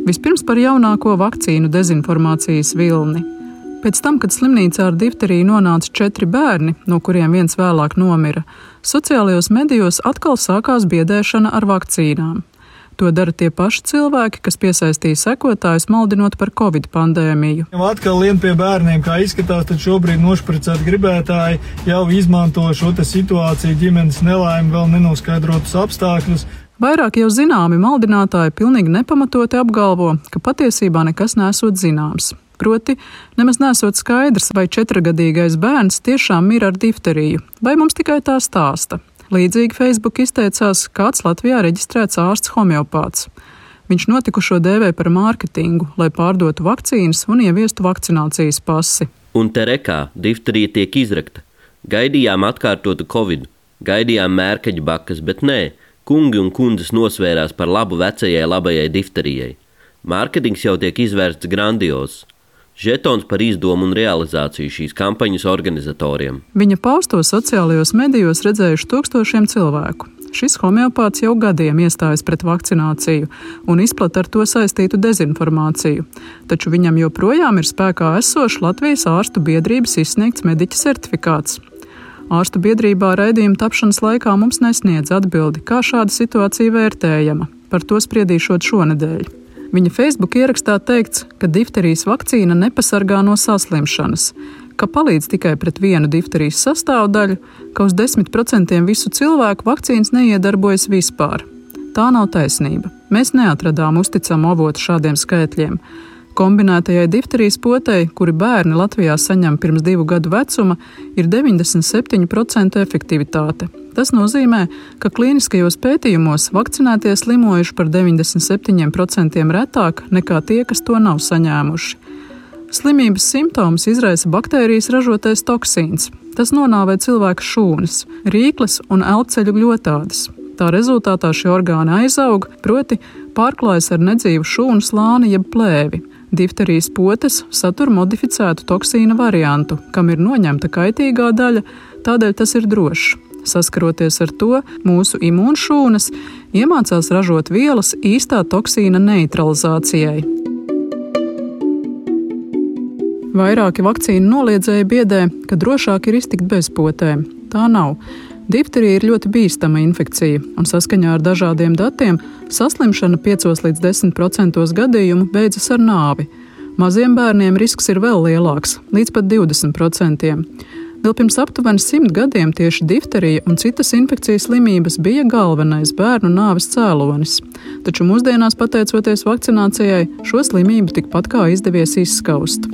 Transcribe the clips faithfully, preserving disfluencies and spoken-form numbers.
Vispirms par jaunāko vakcīnu dezinformācijas vilni. Pēc tam, kad slimnīcā ar difteriju nonāca četri bērni, no kuriem viens vēlāk nomira, sociālajos medijos atkal sākās biedēšana ar vakcīnām. To dara tie paši cilvēki, kas piesaistīja sekotājus, maldinot par covid pandēmiju. Atkal lien pie bērniem, kā izskatās, tad šobrīd nošpricēt gribētāji jau izmanto šo te situāciju, ģimenes nelaimi, vēl nenoskaidrotus apstākļus. Vairāk jau zināmi maldinātāji pilnīgi nepamatoti apgalvo, ka patiesībā nekas nesot zināms. Proti, nemaz nesot skaidrs, vai četragadīgais bērns tiešām mir ar difteriju, vai mums tikai tā stāsta. Līdzīgi Facebook izteicās kāds Latvijā reģistrēts ārsts homeopāts. Viņš notikušo dēvē par mārketingu, lai pārdotu vakcīnas un ieviestu vakcinācijas pasi. Un te rekā difterija tiek izrakta. Gaidījām atkārtotu covidu, gaidījām mērkaģu bakas, bet nē, kungi un kundzes nosvērās par labu vecajai labajai difterijai. Mārketings jau tiek izvērsts grandiozs. Žetons par izdomu un realizāciju šīs kampaņas organizatoriem. Viņa pausto sociālajos medijos redzējuši tūkstošiem cilvēku. Šis homeopāts jau gadiem iestājas pret vakcināciju un izplata ar to saistītu dezinformāciju. Taču viņam joprojām ir spēkā esošs Latvijas ārstu biedrības izsniegts mediķa certifikāts. Ārstu biedrībā raidījuma tapšanas laikā mums nesniedz atbildi, kā šāda situācija vērtējama. Par to spriedīšot šonedēļ. Viņa Facebook ierakstā teikts, ka difterijas vakcīna nepasargā no saslimšanas, ka palīdz tikai pret vienu difterijas sastāvdaļu, ka uz desmit procentiem visu cilvēku vakcīnas neiedarbojas vispār. Tā nav taisnība. Mēs neatradām uzticamu avotu šādiem skaitļiem. Kombinētajai difterijas potei, kuri bērni Latvijā saņem pirms divu gadu vecuma, ir deviņdesmit septiņu procentu efektivitāte. Tas nozīmē, ka klīniskajos pētījumos vakcinētie slimojuši par deviņdesmit septiņiem procentiem retāk nekā tie, kas to nav saņēmuši. Slimības simptomus izraisa baktērijas ražotais toksīns. Tas nonāvē cilvēka šūnas, rīkles un elpceļu gļotādes. Tā rezultātā šie orgāni aizaug, proti pārklājas ar nedzīvu šūnu slāni jeb plēvi. Difterijas potes satur modificētu toksīna variantu, kam ir noņemta kaitīgā daļa, tādēļ tas ir drošs. Saskaroties ar to, mūsu imūnšūnas iemācās ražot vielas īstā toksīna neutralizācijai. Vairāki vakcīnu noliedzēji biedē, ka drošāk ir iztikt bez potēm. Tā nav. Difterija ir ļoti bīstama infekcija, un saskaņā ar dažādiem datiem saslimšana piecos līdz desmit procentos gadījumu beidzas ar nāvi. Maziem bērniem risks ir vēl lielāks, līdz pat divdesmit procentiem. Vēl pirms aptuveni simt gadiem tieši difterija un citas infekcijas slimības bija galvenais bērnu nāves cēlonis. Taču mūsdienās, pateicoties vakcinācijai, šo slimību tikpat kā izdevies izskaust.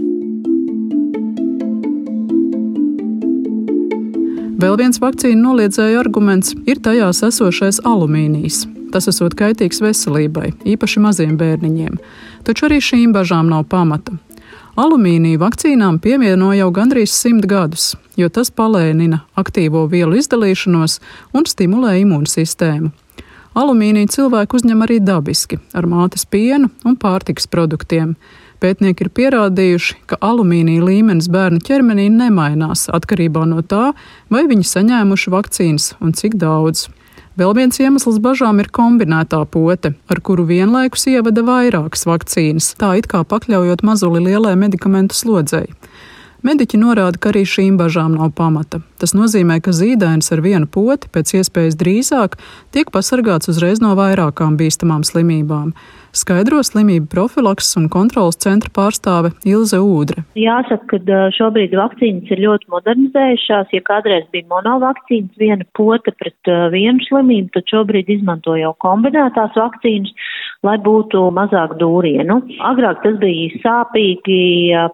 Vēl viens vakcīnu noliedzēju arguments ir tajās esošais alumīnijs. Tas esot kaitīgs veselībai, īpaši maziem bērniņiem. Taču arī šīm bažām nav pamata. Alumīniju vakcīnām pievieno jau gandrīz simt gadus, jo tas palēnina aktīvo vielu izdalīšanos un stimulē imūnsistēmu. Alumīniju cilvēku uzņem arī dabiski, ar mātes pienu un pārtikas produktiem. Pētnieki ir pierādījuši, ka alumīnija līmenis bērnu ķermenī nemainās atkarībā no tā, vai viņi saņēmuši vakcīnas un cik daudz. Vēl viens iemesls bažām ir kombinētā pote, ar kuru vienlaikus ievada vairākas vakcīnas, tā it kā pakļaujot mazuli lielai medikamentu slodzei. Mediķi norāda, ka arī šīm bažām nav pamata. Tas nozīmē, ka zīdainis ar vienu poti pēc iespējas drīzāk tiek pasargāts uzreiz no vairākām bīstamām slimībām. Skaidro slimību profilakses un kontrolas centra pārstāve Ilze Ūdre. Jāsaka, ka šobrīd vakcīnas ir ļoti modernizējušās. Ja kādreiz bija monovakcīnas, viena pote pret vienu slimību, tad šobrīd izmanto jau kombinētās vakcīnas, lai būtu mazāk dūrienu. Agrāk tas bija sāpīgi,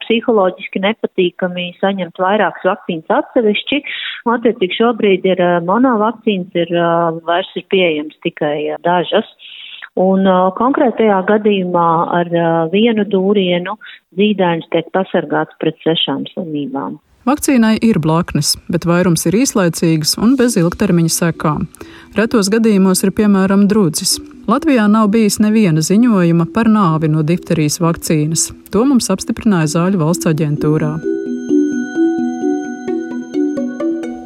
psiholoģiski nepatīkami saņemt vairākas vakcīnas atsevišķi. Attiecīgi šobrīd ir monovakcīnas, ir vairs ir pieejams tikai dažas. Un uh, konkrētajā gadījumā ar uh, vienu dūrienu zīdainis tiek pasargāts pret sešām slimībām. Vakcīnai ir blaknes, bet vairums ir īslaicīgas un bez ilgtermiņa sekām. Retos gadījumos ir piemēram drudzis. Latvijā nav bijis neviena ziņojuma par nāvi no difterijas vakcīnas. To mums apstiprināja Zāļu valsts aģentūrā.